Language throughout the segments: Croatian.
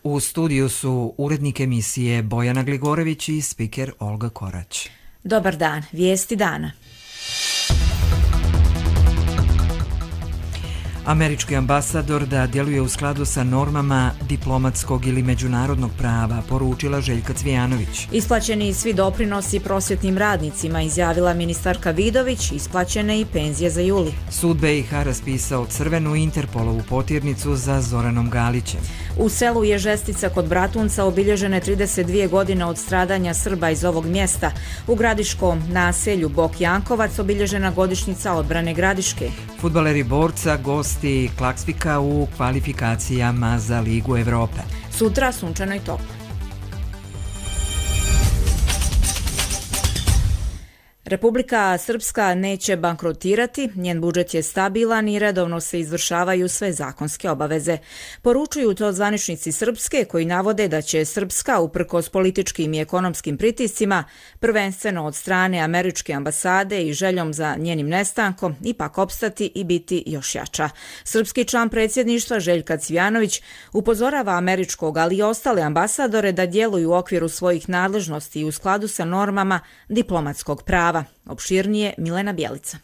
U studiju su urednik emisije Bojana Gligorević i spiker Olga Korać. Dobar dan, vijesti dana. Američki ambasador da djeluje u skladu sa normama diplomatskog ili međunarodnog prava, poručila Željka Cvijanović. Isplaćeni svi doprinosi prosvjetnim radnicima, izjavila ministarka Vidović, isplaćene i penzije za juli. Sud BiH raspisao crvenu Interpolovu potirnicu za Zoranom Galićem. U selu Ježestica kod Bratunca obilježene 32 godine od stradanja Srba iz ovog mjesta. U gradiškom naselju Bok Jankovac obilježena godišnjica odbrane Gradiške. Fudbaleri Borca gosti Klaksvika u kvalifikacijama za Ligu Evrope. Sutra sunčano i toplo. Republika Srpska neće bankrotirati, njen budžet je stabilan i redovno se izvršavaju sve zakonske obaveze. Poručuju to zvaničnici Srpske koji navode da će Srpska, uprkos političkim i ekonomskim pritiscima, prvenstveno od strane američke ambasade i željom za njenim nestankom, ipak opstati i biti još jača. Srpski član predsjedništva Željka Cvijanović upozorava američkog, ali i ostale ambasadore da djeluju u okviru svojih nadležnosti i u skladu sa normama diplomatskog prava. Opširnije Milena Bjelica.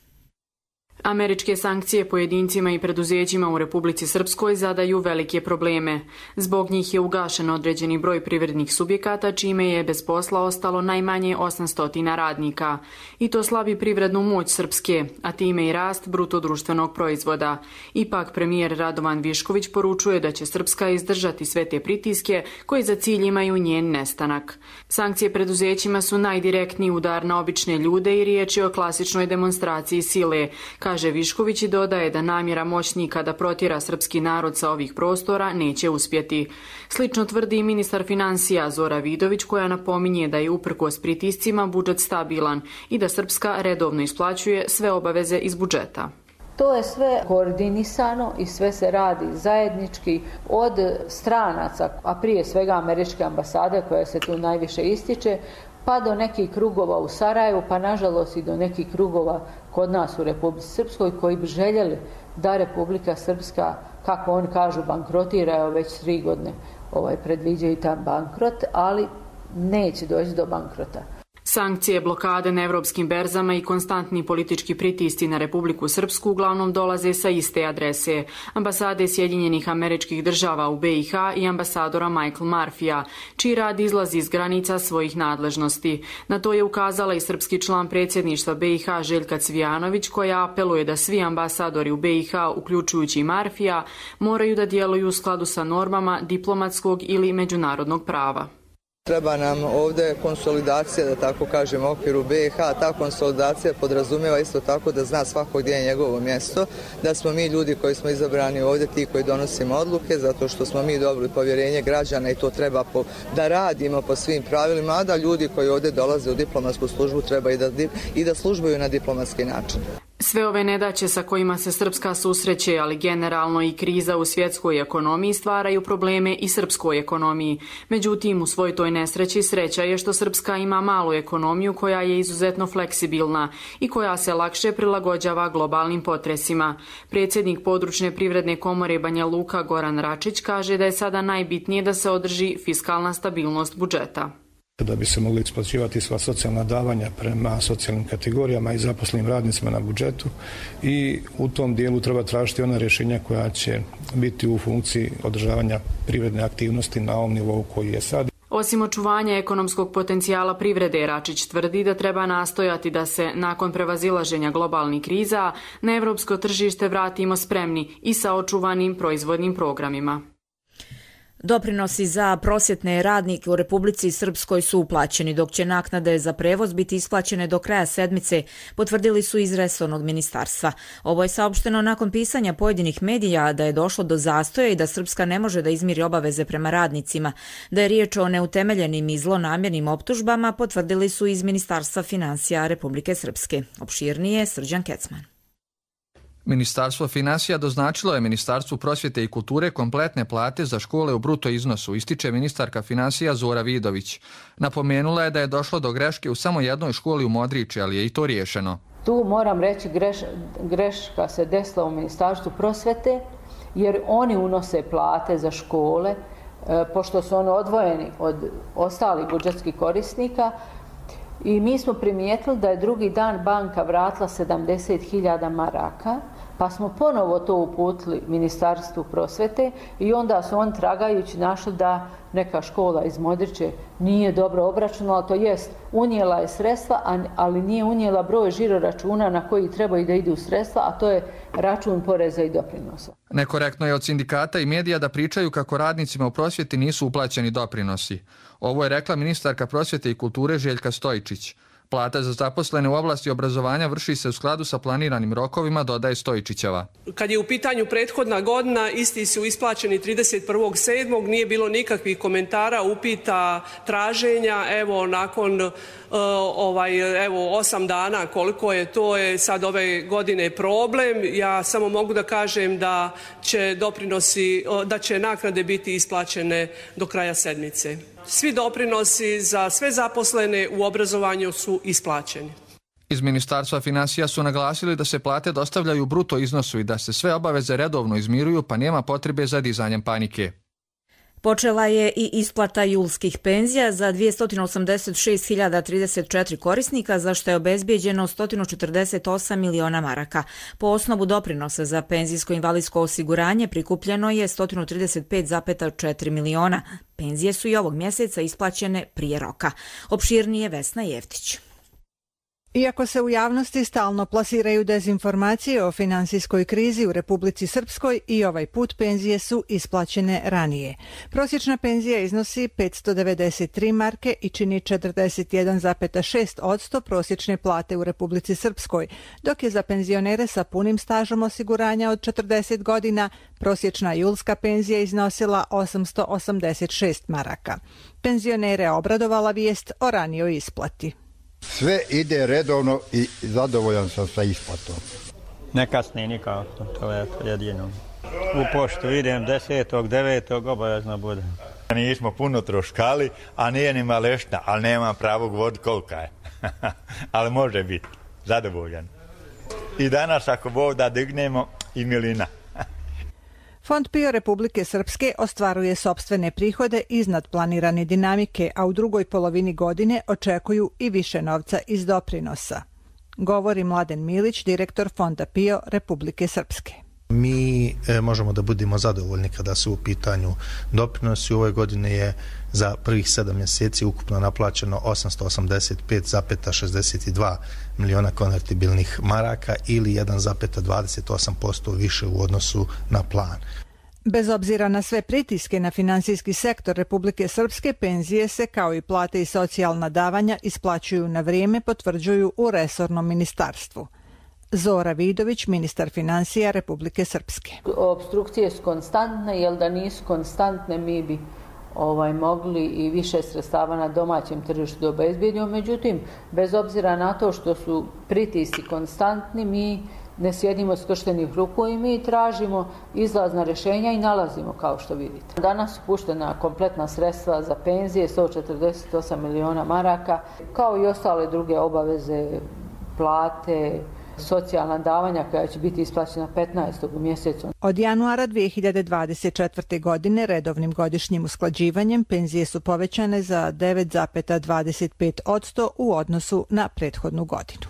Američke sankcije pojedincima i preduzećima u Republici Srpskoj zadaju velike probleme. Zbog njih je ugašen određeni broj privrednih subjekata, čime je bez posla ostalo najmanje 800 radnika. I to slabi privrednu moć Srpske, a time i rast bruto društvenog proizvoda. Ipak premijer Radovan Višković poručuje da će Srpska izdržati sve te pritiske koji za cilj imaju njen nestanak. Sankcije preduzećima su najdirektniji udar na obične ljude i riječ je o klasičnoj demonstraciji sile, kaže Višković i dodaje da namjera moćnika da protjera srpski narod sa ovih prostora neće uspjeti. Slično tvrdi i ministar financija Zora Vidović, koja napominje da je uprkos pritiscima budžet stabilan i da Srpska redovno isplaćuje sve obaveze iz budžeta. To je sve koordinisano i sve se radi zajednički od stranaca, a prije svega američke ambasade koja se tu najviše ističe, pa do nekih krugova u Sarajevu, pa nažalost i do nekih krugova kod nas u Republici Srpskoj koji bi željeli da Republika Srpska, kako oni kažu, bankrotira, evo već 3 godine predviđaju taj bankrot, ali neće doći do bankrota. Sankcije, blokade na evropskim berzama i konstantni politički pritisci na Republiku Srpsku uglavnom dolaze sa iste adrese. Ambasade Sjedinjenih Američkih Država u BiH i ambasadora Michael Murphyja, čiji rad izlazi iz granica svojih nadležnosti. Na to je ukazala i srpski član predsjedništva BiH Željka Cvijanović, koja apeluje da svi ambasadori u BiH, uključujući i Murphyja, moraju da djeluju u skladu sa normama diplomatskog ili međunarodnog prava. Treba nam ovdje konsolidacija, da tako kažem, u okviru BiH. Ta konsolidacija podrazumijeva isto tako da zna svako gdje je njegovo mjesto, da smo mi ljudi koji smo izabrani ovdje ti koji donosimo odluke, zato što smo mi dobili povjerenje građana i to treba da radimo po svim pravilima, a da ljudi koji ovdje dolaze u diplomatsku službu treba i da službuju na diplomatski način. Sve ove nedaće sa kojima se Srpska susreće, ali generalno i kriza u svjetskoj ekonomiji stvaraju probleme i srpskoj ekonomiji. Međutim, u svoj toj nesreći sreća je što Srpska ima malu ekonomiju koja je izuzetno fleksibilna i koja se lakše prilagođava globalnim potresima. Predsjednik područne privredne komore Banja Luka Goran Račić kaže da je sada najbitnije da se održi fiskalna stabilnost budžeta. Da bi se mogli isplaćivati sva socijalna davanja prema socijalnim kategorijama i zaposlenim radnicima na budžetu i u tom dijelu treba tražiti ona rješenja koja će biti u funkciji održavanja privredne aktivnosti na ovom nivou koji je sad. Osim očuvanja ekonomskog potencijala privrede, Račić tvrdi da treba nastojati da se, nakon prevazilaženja globalnih kriza, na evropsko tržište vratimo spremni i sa očuvanim proizvodnim programima. Doprinosi za prosvjetne radnike u Republici Srpskoj su uplaćeni, dok će naknade za prevoz biti isplaćene do kraja sedmice, potvrdili su iz resornog ministarstva. Ovo je saopšteno nakon pisanja pojedinih medija da je došlo do zastoja i da Srpska ne može da izmiri obaveze prema radnicima. Da je riječ o neutemeljenim i zlonamjernim optužbama, potvrdili su iz Ministarstva financija Republike Srpske. Opširnije Srđan Kecman. Ministarstvo finansija doznačilo je Ministarstvu prosvjete i kulture kompletne plate za škole u bruto iznosu, ističe ministarka finansija Zora Vidović. Napomenula je da je došlo do greške u samo jednoj školi u Modriči, ali je i to riješeno. Tu moram reći greška se desila u Ministarstvu prosvjete, jer oni unose plate za škole pošto su oni odvojeni od ostalih budžetskih korisnika. I mi smo primijetili da je drugi dan banka vratila 70.000 maraka, pa smo ponovo to uputili Ministarstvu prosvete i onda su on tragajući našli da neka škola iz Modriče nije dobro obračunala, to jest unijela je sredstva, ali nije unijela broj žiroračuna na koji trebaju da idu sredstva, a to je račun poreza i doprinosa. Nekorektno je od sindikata i medija da pričaju kako radnicima u prosvjeti nisu uplaćeni doprinosi. Ovo je rekla ministarka prosvjete i kulture Željka Stojičić. Plata za zaposlene u oblasti obrazovanja vrši se u skladu sa planiranim rokovima, dodaje Stojičićeva. Kad je u pitanju prethodna godina, isti su isplaćeni 31.7. Nije bilo nikakvih komentara, upita, traženja. Evo, nakon 8 dana koliko je, to je sad ove godine problem. Ja samo mogu da kažem da će naknade biti isplaćene do kraja sedmice. Svi doprinosi za sve zaposlene u obrazovanju su isplaćeni. Iz Ministarstva financija su naglasili da se plate dostavljaju u bruto iznosu i da se sve obaveze redovno izmiruju, pa nema potrebe za dizanjem panike. Počela je i isplata julskih penzija za 286.034 korisnika, za što je obezbijeđeno 148 miliona maraka. Po osnovu doprinosa za penzijsko-invalidsko osiguranje prikupljeno je 135,4 miliona. Penzije su i ovog mjeseca isplaćene prije roka. Opširnije Vesna Jeftić. Iako se u javnosti stalno plasiraju dezinformacije o finansijskoj krizi u Republici Srpskoj, i ovaj put penzije su isplaćene ranije. Prosječna penzija iznosi 593 marke i čini 41,6% prosječne plate u Republici Srpskoj, dok je za penzionere sa punim stažom osiguranja od 40 godina prosječna julska penzija iznosila 886 maraka. Penzionere obradovala vijest o ranijoj isplati. Sve ide redovno i zadovoljan sam sa isplatom. Ne kasni nikako, to je jedino. U poštu idem 10.9. obavezno bude. Nismo puno troškali, a nije ni malešna, ali nemam pravo govoriti kolika je. Ali može biti zadovoljan. I danas ako Bog da dignemo i milina. Fond PIO Republike Srpske ostvaruje sopstvene prihode iznad planirane dinamike, a u drugoj polovini godine očekuju i više novca iz doprinosa. Govori Mladen Milić, direktor Fonda PIO Republike Srpske. Mi možemo da budemo zadovoljni kada su u pitanju doprinosi. U ovoj godini je za prvih 7 mjeseci ukupno naplaćeno 885,62 miliona konvertibilnih maraka ili 1,28% više u odnosu na plan. Bez obzira na sve pritiske na finansijski sektor Republike Srpske, penzije se kao i plate i socijalna davanja isplaćuju na vrijeme, potvrđuju u resornom ministarstvu. Zora Vidović, ministar financija Republike Srpske. Opstrukcije su konstantne, jer da nisu konstantne mi bi mogli i više sredstava na domaćem tržištu da obezbijedimo. Međutim, bez obzira na to što su pritisci konstantni, mi ne sjedimo skrštenih ruku i mi tražimo izlazna rješenja i nalazimo, kao što vidite. Danas su puštena kompletna sredstva za penzije, 148 miliona maraka, kao i ostale druge obaveze, plate, socijalna davanja koja će biti isplaćena 15. u mjesecu. Od januara 2024. godine redovnim godišnjim usklađivanjem penzije su povećane za 9,25% u odnosu na prethodnu godinu.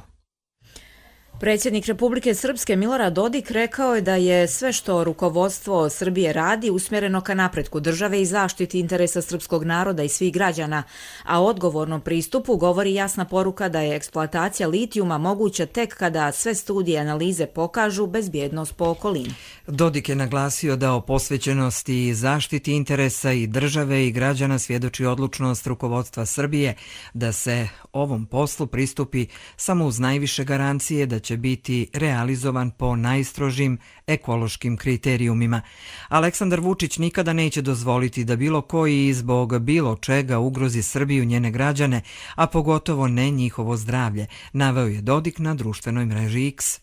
Predsjednik Republike Srpske Milorad Dodik rekao je da je sve što rukovodstvo Srbije radi usmjereno ka napretku države i zaštiti interesa srpskog naroda i svih građana, a o odgovornom pristupu govori jasna poruka da je eksploatacija litijuma moguća tek kada sve studije i analize pokažu bezbjednost po okolinu. Dodik je naglasio da o posvećenosti i zaštiti interesa i države i građana svjedoči odlučnost rukovodstva Srbije da se ovom poslu pristupi samo uz najviše garancije da će biti realizovan po najstrožim ekološkim kriterijumima. Aleksandar Vučić nikada neće dozvoliti da bilo koji zbog bilo čega ugrozi Srbiju, njene građane, a pogotovo ne njihovo zdravlje, naveo je Dodik na društvenoj mreži X.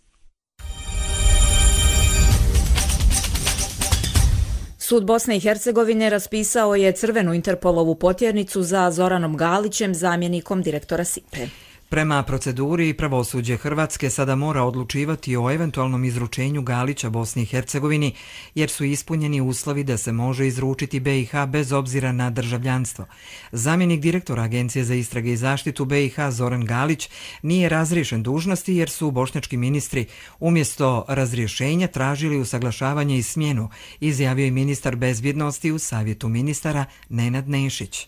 Sud Bosne i Hercegovine raspisao je crvenu Interpolovu potjernicu za Zoranom Galićem, zamjenikom direktora SIPA-e. Prema proceduri, pravosuđe Hrvatske sada mora odlučivati o eventualnom izručenju Galića Bosni i Hercegovini, jer su ispunjeni uslovi da se može izručiti BiH bez obzira na državljanstvo. Zamjenik direktora Agencije za istrage i zaštitu BiH Zoran Galić nije razriješen dužnosti jer su bošnjački ministri umjesto razrješenja tražili usaglašavanje i smjenu, izjavio je ministar bezbjednosti u Savjetu ministara Nenad Nešić.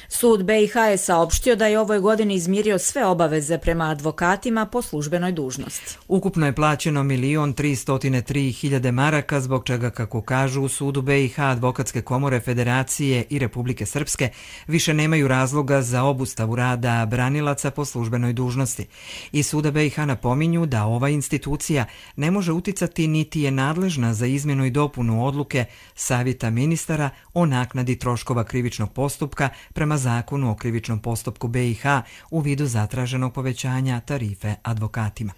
Sud BiH je saopštio da je ovoj godini izmirio sve obaveze prema advokatima po službenoj dužnosti. Ukupno je plaćeno 1.303.000 maraka, zbog čega, kako kažu u sudu BiH, advokatske komore Federacije i Republike Srpske više nemaju razloga za obustavu rada branilaca po službenoj dužnosti. Iz suda BiH napominju da ova institucija ne može uticati niti je nadležna za izmjenu i dopunu odluke Savjeta ministara o naknadi troškova krivičnog postupka prema Zakonu o krivičnom postupku BiH u vidu zatraženog povećanja tarife advokatima.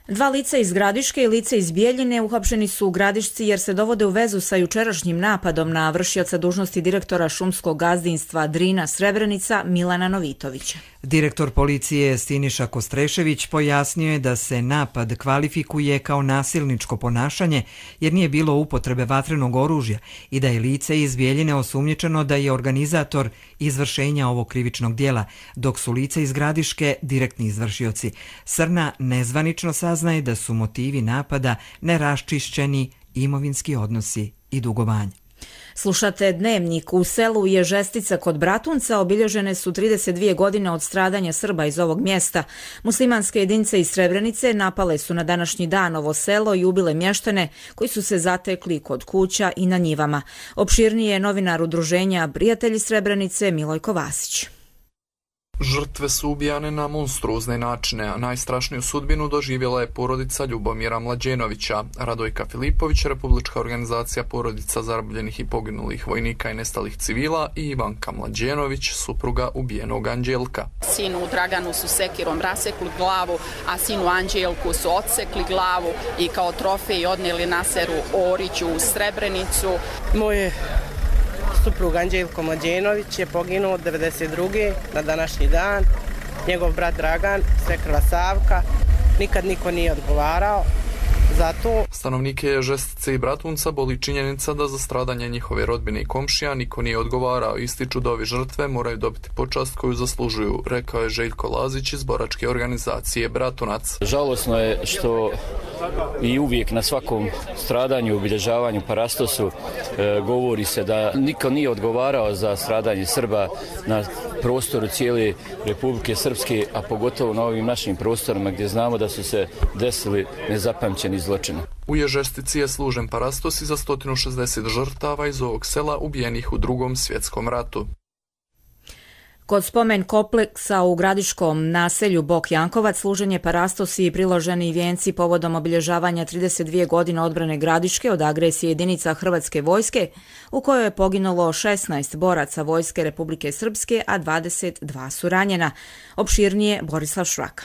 2 lica iz Gradiške i lice iz Bijeljine uhapšeni su u Gradišci jer se dovode u vezu sa jučerašnjim napadom na vršioca dužnosti direktora šumskog gazdinstva Drina Srebrenica Milana Novitovića. Direktor policije Siniša Kostrešević pojasnio je da se napad kvalifikuje kao nasilničko ponašanje jer nije bilo upotrebe vatrenog oružja i da je lice iz Bijeljine osumnjičeno da je organizator izvršenja ovog krivičnog djela, dok su lice iz Gradiške direktni izvršioci. Srna nezvanično saznaje da su motivi napada neraščišćeni imovinski odnosi i dugovanje. Slušate Dnevnik. U selu Ježestica kod Bratunca obilježene su 32 godine od stradanja Srba iz ovog mjesta. Muslimanske jedinice iz Srebrenice napale su na današnji dan ovo selo i ubile mještane koji su se zatekli kod kuća i na njivama. Opširnije je novinar udruženja Prijatelji Srebrenice Milojko Vasić. Žrtve su ubijane na monstruozne načine, a najstrašniju sudbinu doživjela je porodica Ljubomira Mlađenovića. Radojka Filipović, Republička organizacija porodica zarobljenih i poginulih vojnika i nestalih civila, i Ivanka Mlađenović, supruga ubijenog Anđelka. Sinu Draganu su sekirom rasekli glavu, a sinu Anđelku su odsekli glavu i kao trofej odnijeli Naseru Oriću u Srebrenicu. Moje suprug Anđelko Mlađenović je poginuo od 1992. na današnji dan. Njegov brat Dragan, svekrva Savka, nikad niko nije odgovarao za to. Stanovnike Ježestice i Bratunca boli činjenica da za stradanje njihove rodbine i komšija niko nije odgovarao. Ističu da ovi žrtve moraju dobiti počast koju zaslužuju, rekao je Željko Lazić iz boračke organizacije Bratunac. Žalosno je što i uvijek na svakom stradanju, obilježavanju, parastosu govori se da niko nije odgovarao za stradanje Srba na prostoru cijele Republike Srpske, a pogotovo na ovim našim prostorima gdje znamo da su se desili nezapamćeni zločini. U Ježestici je služen parastos i za 160 žrtava iz ovog sela ubijenih u Drugom svjetskom ratu. Kod spomen kompleksa u gradiškom naselju Bok Jankovac služen je parastos i priloženi vijenci povodom obilježavanja 32 godine odbrane Gradiške od agresije jedinica Hrvatske vojske, u kojoj je poginulo 16 boraca Vojske Republike Srpske, a 22 su ranjena. Opširnije Borislav Švaka.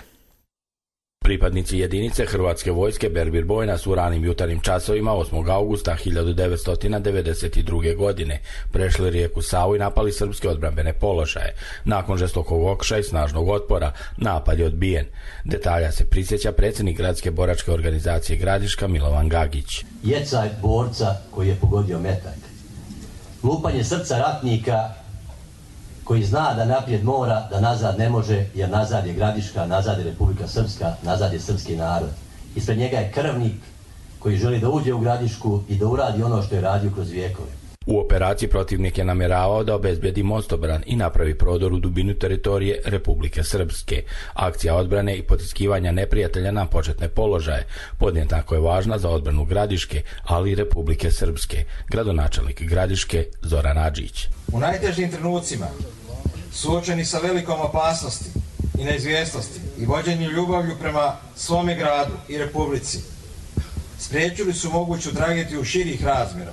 Pripadnici jedinice Hrvatske vojske Berbir Bojna su u ranim jutarnjim časovima 8. augusta 1992. godine prešli rijeku Savu i napali srpske odbrambene položaje. Nakon žestokog okušaja i snažnog otpora, napad je odbijen. Detalja se prisjeća predsjednik gradske boračke organizacije Gradiška Milovan Gagić. Jecaj borca koji je pogodio metak. Lupanje srca ratnika koji zna da naprijed mora, da nazad ne može, jer nazad je Gradiška, nazad je Republika Srpska, nazad je srpski narod. Ispred njega je krvnik koji želi da uđe u Gradišku i da uradi ono što je radio kroz vijekove. U operaciji protivnik je namjeravao da obezbedi mostobran i napravi prodor u dubinu teritorije Republike Srpske. Akcija odbrane i potiskivanja neprijatelja na početne položaje podjednako je važna za odbranu Gradiške, ali i Republike Srpske. Gradonačelnik Gradiške Zoran Adžić. U najtežim trenucima, suočeni sa velikom opasnosti i neizvjesnosti i vođenju ljubavlju prema svome gradu i Republici, spriječili su moguću tragediju širih razmjera,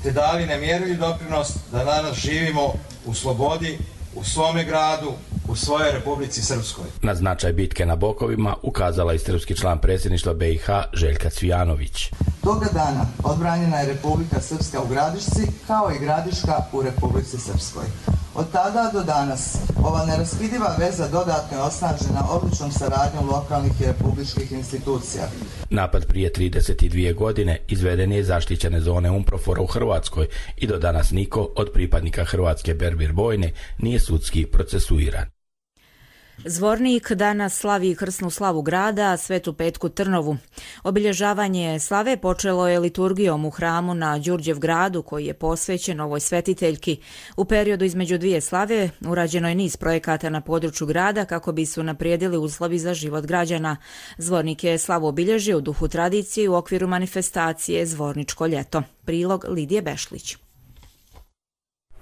te dali nemjerljiv doprinos da danas živimo u slobodi, u svome gradu, u svojoj Republici Srpskoj. Na značaj bitke na Bokovima ukazala i srpski član predsjedništva BiH Željka Cvijanović. Toga dana odbranjena je Republika Srpska u Gradišci kao i Gradiška u Republici Srpskoj. Od tada do danas ova neraskidiva veza dodatno je osnažena odličnom saradnjom lokalnih i republičkih institucija. Napad prije 32 godine izveden je iz zaštićene zone UNPROFOR-a u Hrvatskoj i do danas niko od pripadnika hrvatske Berbir bojne nije sudski procesuiran. Zvornik danas slavi krsnu slavu grada, Svetu Petku Trnovu. Obilježavanje slave počelo je liturgijom u hramu na Đurđevgradu, koji je posvećen ovoj svetiteljki. U periodu između dvije slave urađeno je niz projekata na području grada kako bi se unaprijedili uslovi za život građana. Zvornik je slavu obilježio u duhu tradicije u okviru manifestacije Zvorničko ljeto. Prilog Lidije Bešlić.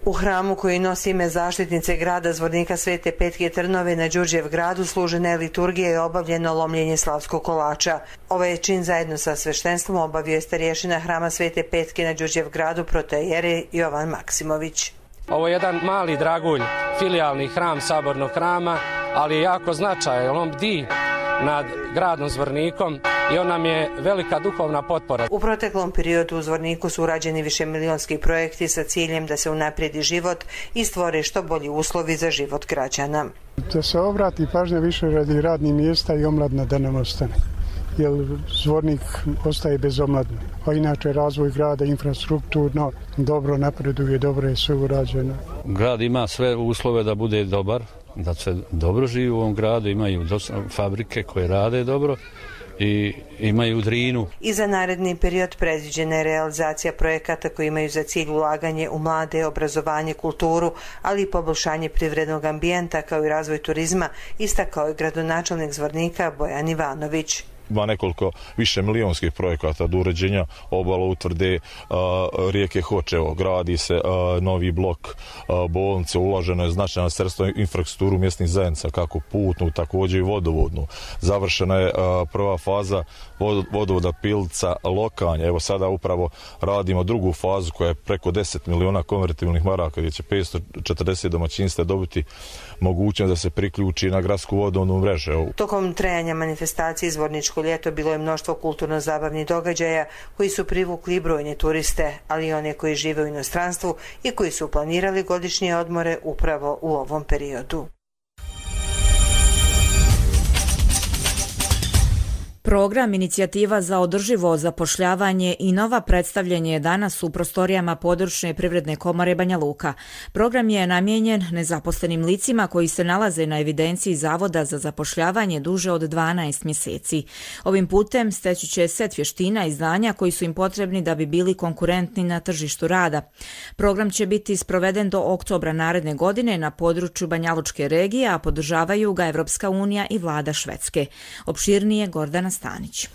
U hramu koji nosi ime zaštitnice grada Zvornika Svete Petke Trnove na Đurđevgradu služena je liturgija i obavljeno lomljenje slavskog kolača. Ovaj čin zajedno sa sveštenstvom obavio je starješina hrama Svete Petke na Đurđevgradu protojere Jovan Maksimović. Ovo je jedan mali dragulj, filijalni hram sabornog hrama, ali je jako značajan, on bdi nad gradom Zvornikom i on nam je velika duhovna potpora. U proteklom periodu u Zvorniku su urađeni višemilionski projekti sa ciljem da se unaprijedi život i stvore što bolji uslovi za život građana. Da se obrati pažnja više radi radnih mjesta i omladna da nam ostane, jer Zvornik ostaje bez omladne. A inače razvoj grada infrastrukturno dobro napreduje, dobro je sve urađeno. Grad ima sve uslove da bude dobar, da se dobro živi u ovom gradu, imaju fabrike koje rade dobro i imaju Drinu. I za naredni period predviđena je realizacija projekata koji imaju za cilj ulaganje u mlade, obrazovanje, kulturu, ali i poboljšanje privrednog ambijenta kao i razvoj turizma, istakao je gradonačelnik Zvornika Bojan Ivanović. Ima nekoliko više milijonskih projekata do uređenja obala utvrde rijeke Hočevo, gradi se novi blok bolnice, ulaženo je značajna sredstva u infrastrukturu mjesnih zajednica, kako putnu, također i vodovodnu. Završena je prva faza vodovoda Pilica Lokanje. Evo sada upravo radimo drugu fazu koja je preko 10 miliona konvertibilnih maraka, gdje će 540 domaćinstva dobiti mogućnost da se priključi na gradsku vodovnu mrežu. Tokom trajanja manifestacije Zvorničko ljeto bilo je mnoštvo kulturno-zabavnih događaja koji su privukli brojne turiste, ali i one koji žive u inostranstvu i koji su planirali godišnje odmore upravo u ovom periodu. Program Inicijativa za održivo zapošljavanje i nova predstavljanje je danas u prostorijama područne privredne komore Banja Luka. Program je namijenjen nezaposlenim licima koji se nalaze na evidenciji Zavoda za zapošljavanje duže od 12 mjeseci. Ovim putem steći će set vještina i znanja koji su im potrebni da bi bili konkurentni na tržištu rada. Program će biti sproveden do oktobra naredne godine na području Banjalučke regije, a podržavaju ga Evropska unija i vlada Švedske. Opširnije Gordana Stanić.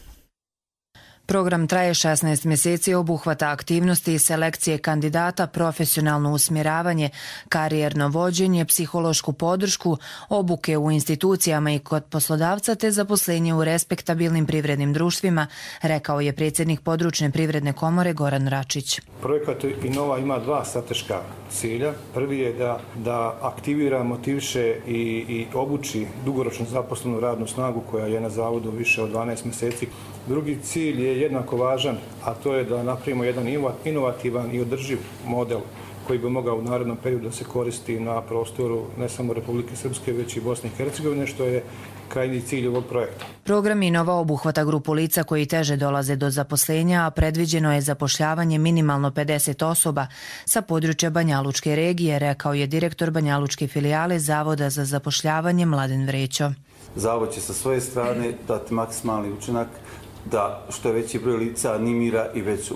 Program traje 16 mjeseci, obuhvata aktivnosti i selekcije kandidata, profesionalno usmjeravanje, karijerno vođenje, psihološku podršku, obuke u institucijama i kod poslodavca te zaposlenje u respektabilnim privrednim društvima, rekao je predsjednik područne privredne komore Goran Račić. Projekat Inova ima dva strateška cilja. Prvi je da aktivira, motiviše i obuči dugoročno zaposlenu radnu snagu koja je na zavodu više od 12 mjeseci. Drugi cilj je jednako važan, a to je da napravimo jedan inovativan i održiv model koji bi mogao u narednom periodu da se koristi na prostoru ne samo Republike Srpske, već i Bosne i Hercegovine, što je krajnji cilj ovog projekta. Program Inova obuhvata grupu lica koji teže dolaze do zaposlenja, a predviđeno je zapošljavanje minimalno 50 osoba sa područja Banjalučke regije, rekao je direktor Banjalučke filijale Zavoda za zapošljavanje Mladen Vrećo. Zavod će sa svoje strane dati maksimalni učinak da što veći broj lica animira i već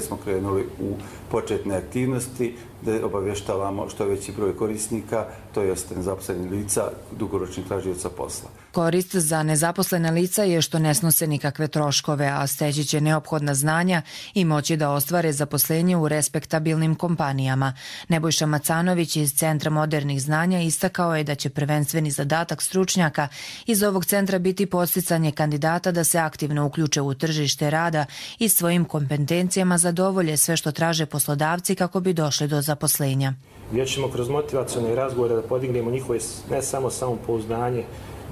smo krenuli u početne aktivnosti, da obavještavamo što veći broj korisnika, to jest nezaposlenih lica, dugoročnih tražioca posla. Korist za nezaposlena lica je što ne snose nikakve troškove, a steći će neophodna znanja i moći da ostvare zaposlenje u respektabilnim kompanijama. Nebojša Macanović iz Centra modernih znanja istakao je da će prvenstveni zadatak stručnjaka iz ovog centra biti podsticanje kandidata da se aktivno uključe u tržište rada i svojim kompetencijama zadovolje sve što traže poslodavci kako bi došli do zaposlenja. Gdje ćemo kroz motivacione razgovore da podignemo njihove ne samo samopouzdanje,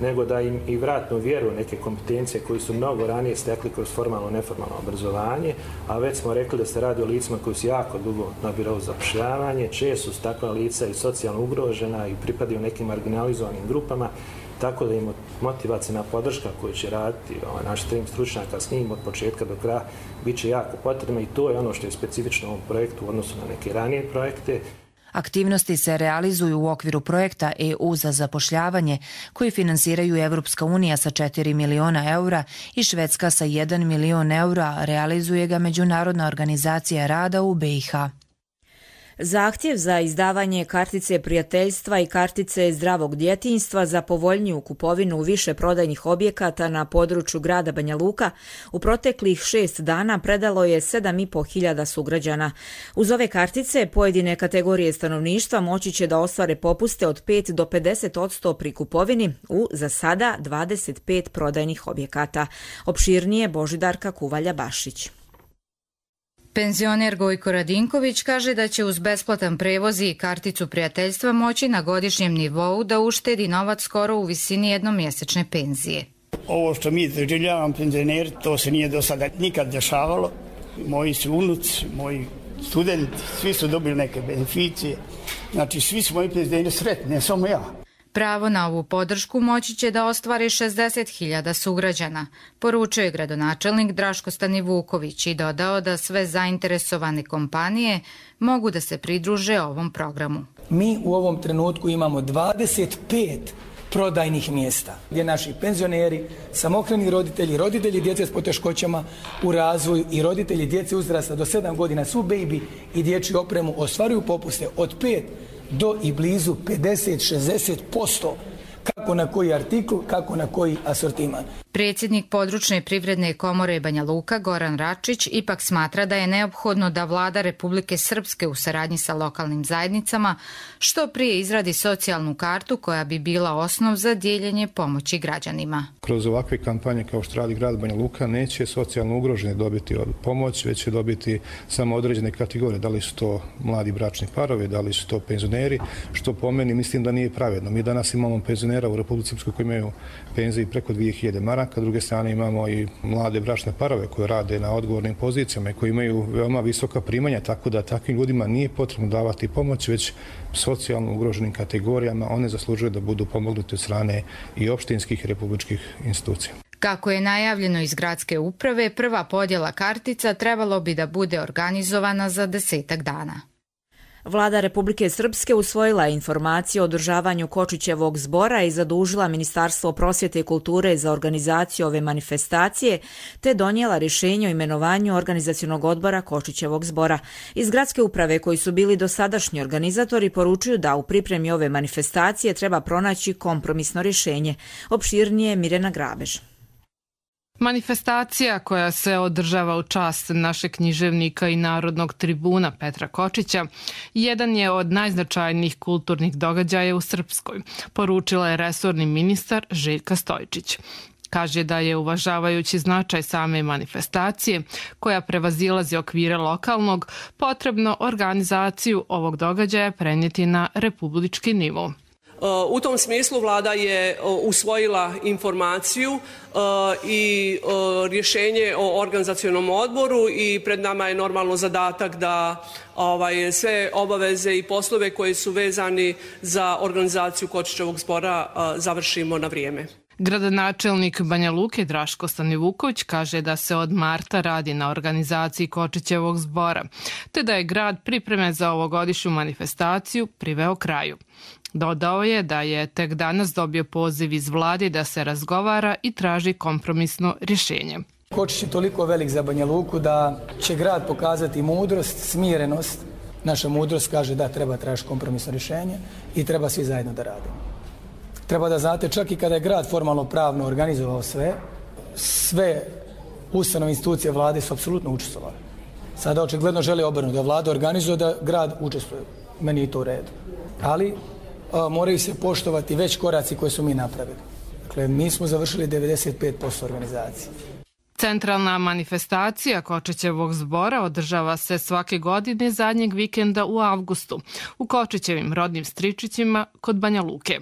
nego da im i vratnu vjeru neke kompetencije koje su mnogo ranije stekli kroz formalno neformalno obrazovanje, a već smo rekli da se radi o licima koji su jako dugo na birou za zapošljavanje, često su takva lica i socijalno ugrožena i pripadaju nekim marginalizovanim grupama, tako da im motivacijna podrška koju će raditi naš tim stručnjaka s njim od početka do kraja bit će jako potrebna i to je ono što je specifično u ovom projektu u odnosu na neke ranije projekte. Aktivnosti se realizuju u okviru projekta EU za zapošljavanje koji finansiraju Evropska unija sa 4 miliona eura i Švedska sa 1 milion eura, realizuje ga Međunarodna organizacija rada u BiH. Zahtjev za izdavanje kartice prijateljstva i kartice zdravog djetinjstva za povoljniju kupovinu u više prodajnih objekata na području grada Banja Luka u proteklih 6 dana predalo je 7.500 sugrađana. Uz ove kartice pojedine kategorije stanovništva moći će da ostvare popuste od 5 do 50% pri kupovini u za sada 25 prodajnih objekata. Opširnije Božidarka Kuvalja-Bašić. Penzioner Gojko Radinković kaže da će uz besplatan prevoz i karticu prijateljstva moći na godišnjem nivou da uštedi novac skoro u visini jednomjesečne penzije. Ovo što mi doživljavamo penzioneri, to se nije do sada nikad dešavalo. Moji su unuci, moji studenti, svi su dobili neke beneficije. Znači svi su moji penzioneri sretni, ne samo ja. Pravo na ovu podršku moći će da ostvari 60.000 sugrađana, poručio je gradonačelnik Draško Stanivuković i dodao da sve zainteresovane kompanije mogu da se pridruže ovom programu. Mi u ovom trenutku imamo 25 prodajnih mjesta gdje naši penzioneri, samohrani roditelji, roditelji djece s poteškoćama u razvoju i roditelji djece uzrasta do 7 godina su baby i dječju opremu ostvaruju popuste od 5 do i blizu 50-60%, kako na koji artikl, kako na koji asortiman. Predsjednik područne privredne komore Banja Luka Goran Račić ipak smatra da je neophodno da vlada Republike Srpske u saradnji sa lokalnim zajednicama što prije izradi socijalnu kartu koja bi bila osnov za dijeljenje pomoći građanima. Kroz ovakve kampanje kao što radi grad Banja Luka neće socijalno ugroženi dobiti pomoć, već će dobiti samo određene kategorije. Da li su to mladi bračni parovi, da li su to penzioneri, što po meni mislim da nije pravedno. Mi danas imamo penzionera u Republici Srpskoj koji imaju penzije preko 2000 maraka, s druge strane imamo i mlade bračne parove koje rade na odgovornim pozicijama i koji imaju veoma visoka primanja, tako da takvim ljudima nije potrebno davati pomoć, već socijalno ugroženim kategorijama one zaslužuju da budu pomognuti od strane i opštinskih i republičkih institucija. Kako je najavljeno iz gradske uprave, prva podjela kartica trebalo bi da bude organizovana za 10 dana. Vlada Republike Srpske usvojila informaciju o održavanju Kočićevog zbora i zadužila Ministarstvo prosvjete i kulture za organizaciju ove manifestacije, te donijela rješenje o imenovanju organizacionog odbora Kočićevog zbora. Iz gradske uprave, koji su bili dosadašnji organizatori, poručuju da u pripremi ove manifestacije treba pronaći kompromisno rješenje. Opširnije Mirjana Grabež. Manifestacija koja se održava u čast našeg književnika i narodnog tribuna Petra Kočića jedan je od najznačajnijih kulturnih događaja u Srpskoj, poručila je resorni ministar Željka Stojčić. Kaže da je, uvažavajući značaj same manifestacije, koja prevazilazi okvire lokalnog, potrebno organizaciju ovog događaja prenijeti na republički nivo. U tom smislu vlada je usvojila informaciju i rješenje o organizacionom odboru i pred nama je normalno zadatak da sve obaveze i poslove koji su vezani za organizaciju Kočićevog zbora završimo na vrijeme. Gradonačelnik Banja Luke Draško Stanivuković kaže da se od marta radi na organizaciji Kočićevog zbora, te da je grad pripreme za ovogodišnju manifestaciju priveo kraju. Dodao je da je tek danas dobio poziv iz vlade da se razgovara i traži kompromisno rješenje. Kočić je toliko velik za Banja Luku da će grad pokazati mudrost, smirenost. Naša mudrost kaže da treba tražiti kompromisno rješenje i treba svi zajedno da radimo. Treba da znate, čak i kada je grad formalno pravno organizovao sve ustanove institucije vlade su apsolutno učestvovali. Sada očigledno žele obrnuti, da vlada organizuje, da grad učestvuje. Meni je to u redu. Ali moraju se poštovati već koraci koje su mi napravili. Dakle, mi smo završili 95% organizacije. Centralna manifestacija Kočićevog zbora održava se svake godine zadnjeg vikenda u avgustu u Kočićevim rodnim Stričićima kod Banja Luke.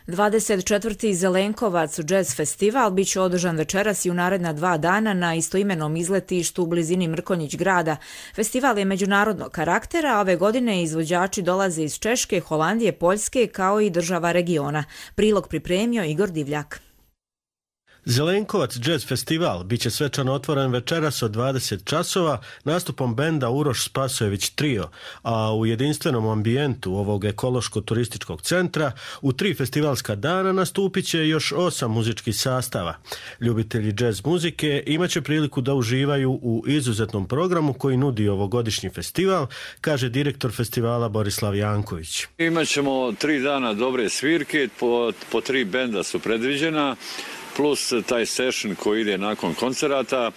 24. Zelenkovac jazz festival bit će održan večeras i u naredna 2 dana na istoimenom izletištu u blizini Mrkonjić grada. Festival je međunarodnog karaktera, a ove godine izvođači dolaze iz Češke, Holandije, Poljske kao i država regiona. Prilog pripremio Igor Divljak. Zelenkovac jazz festival biće svečano otvoren večeras od 20 časova nastupom benda Uroš Spasojević Trio, a u jedinstvenom ambijentu ovog ekološko-turističkog centra u 3 festivalska dana nastupit će još 8 muzičkih sastava. Ljubitelji jazz muzike imaće priliku da uživaju u izuzetnom programu koji nudi ovogodišnji festival, kaže direktor festivala Borislav Janković. Imaćemo 3 dana dobre svirke, po 3 benda su predviđena, plus taj session koji ide nakon koncerata.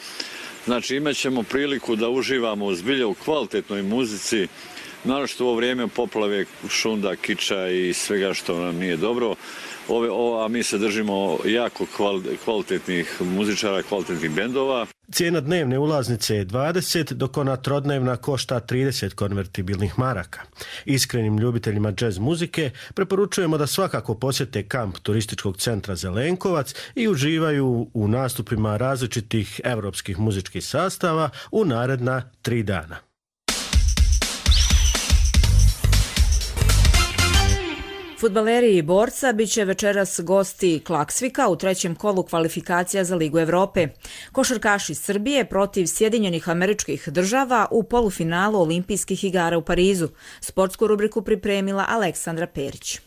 Znači imat ćemo priliku da uživamo zbilja u kvalitetnoj muzici, naročito u ovo vrijeme poplave, šunda, kiča i svega što nam nije dobro. A mi se držimo jako kvalitetnih muzičara, kvalitetnih bendova. Cijena dnevne ulaznice je 20, dok ona trodnevna košta 30 konvertibilnih maraka. Iskrenim ljubiteljima jazz muzike preporučujemo da svakako posjete kamp turističkog centra Zelenkovac i uživaju u nastupima različitih evropskih muzičkih sastava u naredna 3 dana. Fudbaleri Borca bit će večeras gosti Klaksvika u 3. kolu kvalifikacija za Ligu Evrope. Košarkaši Srbije protiv Sjedinjenih Američkih Država u polufinalu Olimpijskih igara u Parizu. Sportsku rubriku pripremila Aleksandra Perić.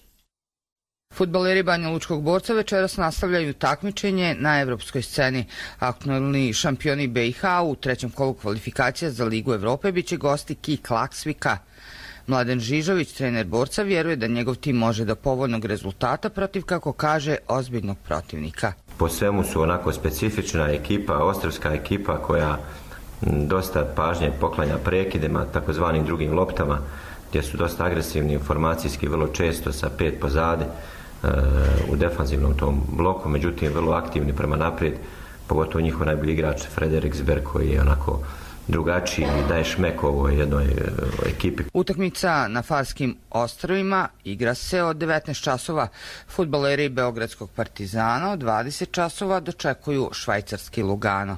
Fudbaleri Banja Lučkog Borca večeras nastavljaju takmičenje na evropskoj sceni. Aktualni šampioni BiH u 3. kolu kvalifikacija za Ligu Evrope bit će gosti KI Klaksvika. Mladen Žižović, trener Borca, vjeruje da njegov tim može do povoljnog rezultata protiv, kako kaže, ozbiljnog protivnika. Po svemu su onako specifična ekipa, ostrvska ekipa koja dosta pažnje poklanja prekidima, takozvanim drugim loptama, gdje su dosta agresivni informacijski, vrlo često sa 5 pozadi u defanzivnom tom bloku, međutim vrlo aktivni prema naprijed, pogotovo njihov najbolji igrač Frederik Zberg koji je onako drugačiji i daje šmek ovoj jednoj ekipi. Utakmica na Farskim ostrvima igra se od 19 časova. Fudbaleri Beogradskog Partizana od 20 časova dočekuju švajcarski Lugano.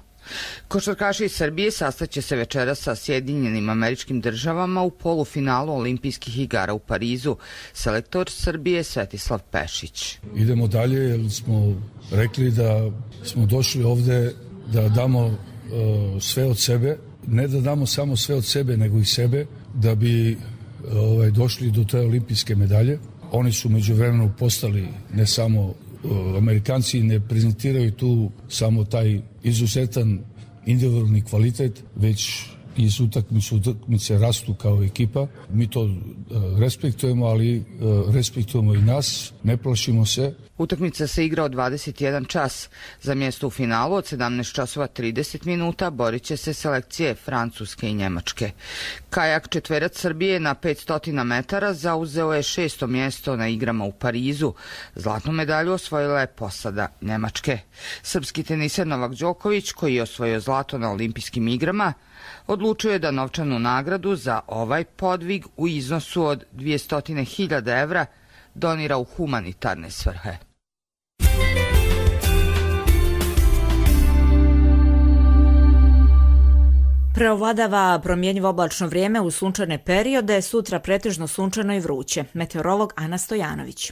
Košarkaši iz Srbije sastaće se večeras sa Sjedinjenim Američkim Državama u polufinalu Olimpijskih igara u Parizu. Selektor Srbije Svetislav Pešić. Idemo dalje jer smo rekli da smo došli ovde da damo sve od sebe, ne da damo samo sve od sebe, nego i sebe, da bi došli do te olimpijske medalje. Oni su međuvremenu postali, ne samo Amerikanci ne prezentiraju tu samo taj izuzetan individualni kvalitet, već iz utakmice rastu kao ekipa. Mi to respektujemo, ali respektujemo i nas, ne plašimo se. Utakmica se igra od 21 čas. Za mjesto u finalu od 17 časova 30 minuta borit će se selekcije Francuske i Njemačke. Kajak četverac Srbije na 500 metara zauzeo je 6. mjesto na igrama u Parizu. Zlatnu medalju osvojila je posada Njemačke. Srpski teniser Novak Đoković, koji je osvojio zlato na olimpijskim igrama, odlučio je da novčanu nagradu za ovaj podvig u iznosu od 200.000 evra donira u humanitarne svrhe. Preovladava promjenjivo oblačno vrijeme u sunčane periode, sutra pretežno sunčano i vruće. Meteorolog Ana Stojanović.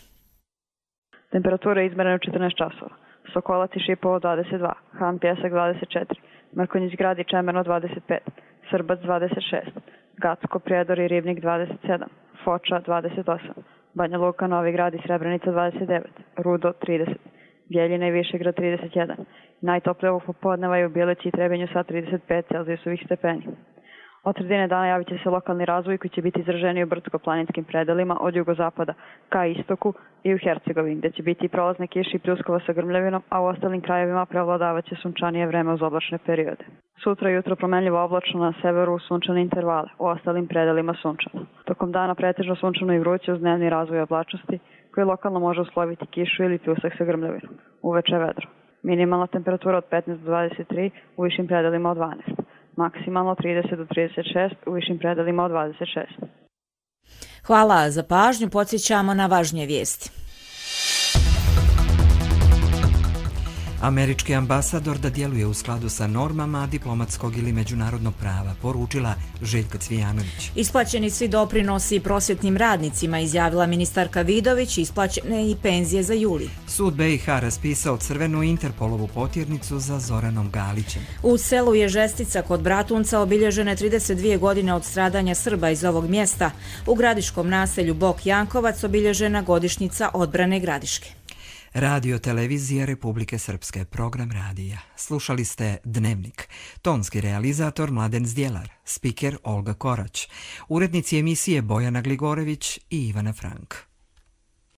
Temperatura je izmerena u 14 časova. Sokolac i Šipovo 22, Han Pjesak 24, Mrkonjić grad i Čemerno 25, Srbac 26, Gacko, Prijedor i Ribnik 27, Foča 28, Banja Luka, Novi Grad i Srebrenica 29, Rudo 30, Bjeljina i Višegrad 31. Najtoplije ovog popodneva je u Bjelici i Trebinju sa 35 celzijusovih stepeni. Od sredine dana javit će se lokalni razvoj koji će biti izraženiji u brdsko-planinskim predelima od jugozapada ka istoku i u Hercegovini, gdje će biti prolazne kiše i pljuskova sa grmljavinom, a u ostalim krajevima prevladavat će sunčanije vreme uz oblačne periode. Sutra jutro promenljivo oblačno na severu sunčane intervale, u ostalim predelima sunčano. Tokom dana pretežno sunčano i vruće uz dnevni razvoj oblačnosti, koji lokalno može usloviti kišu ili pljusak sa grmljavinom. Uveče vedro. Minimalna temperatura od 15 do 23, u višim predelima od 12. Maksimalno 30 do 36, u višim predelima od 26. Hvala za pažnju, podsjećamo na važnije vijesti. Američki ambasador da djeluje u skladu sa normama diplomatskog ili međunarodnog prava, poručila Željka Cvijanović. Isplaćeni svi doprinosi prosvjetnim radnicima, izjavila ministarka Vidović, isplaćene i penzije za juli. Sud BiH raspisao crvenu Interpolovu potjernicu za Zoranom Galićem. U selu Ježestica kod Bratunca obilježene 32 godine od stradanja Srba iz ovog mjesta. U gradiškom naselju Bok Jankovac obilježena godišnjica odbrane Gradiške. Radio televizija Republike Srpske, program radija. Slušali ste Dnevnik. Tonski realizator Mladen Zdjelar, spiker Olga Korać, urednici emisije Bojana Gligorević i Ivana Frank.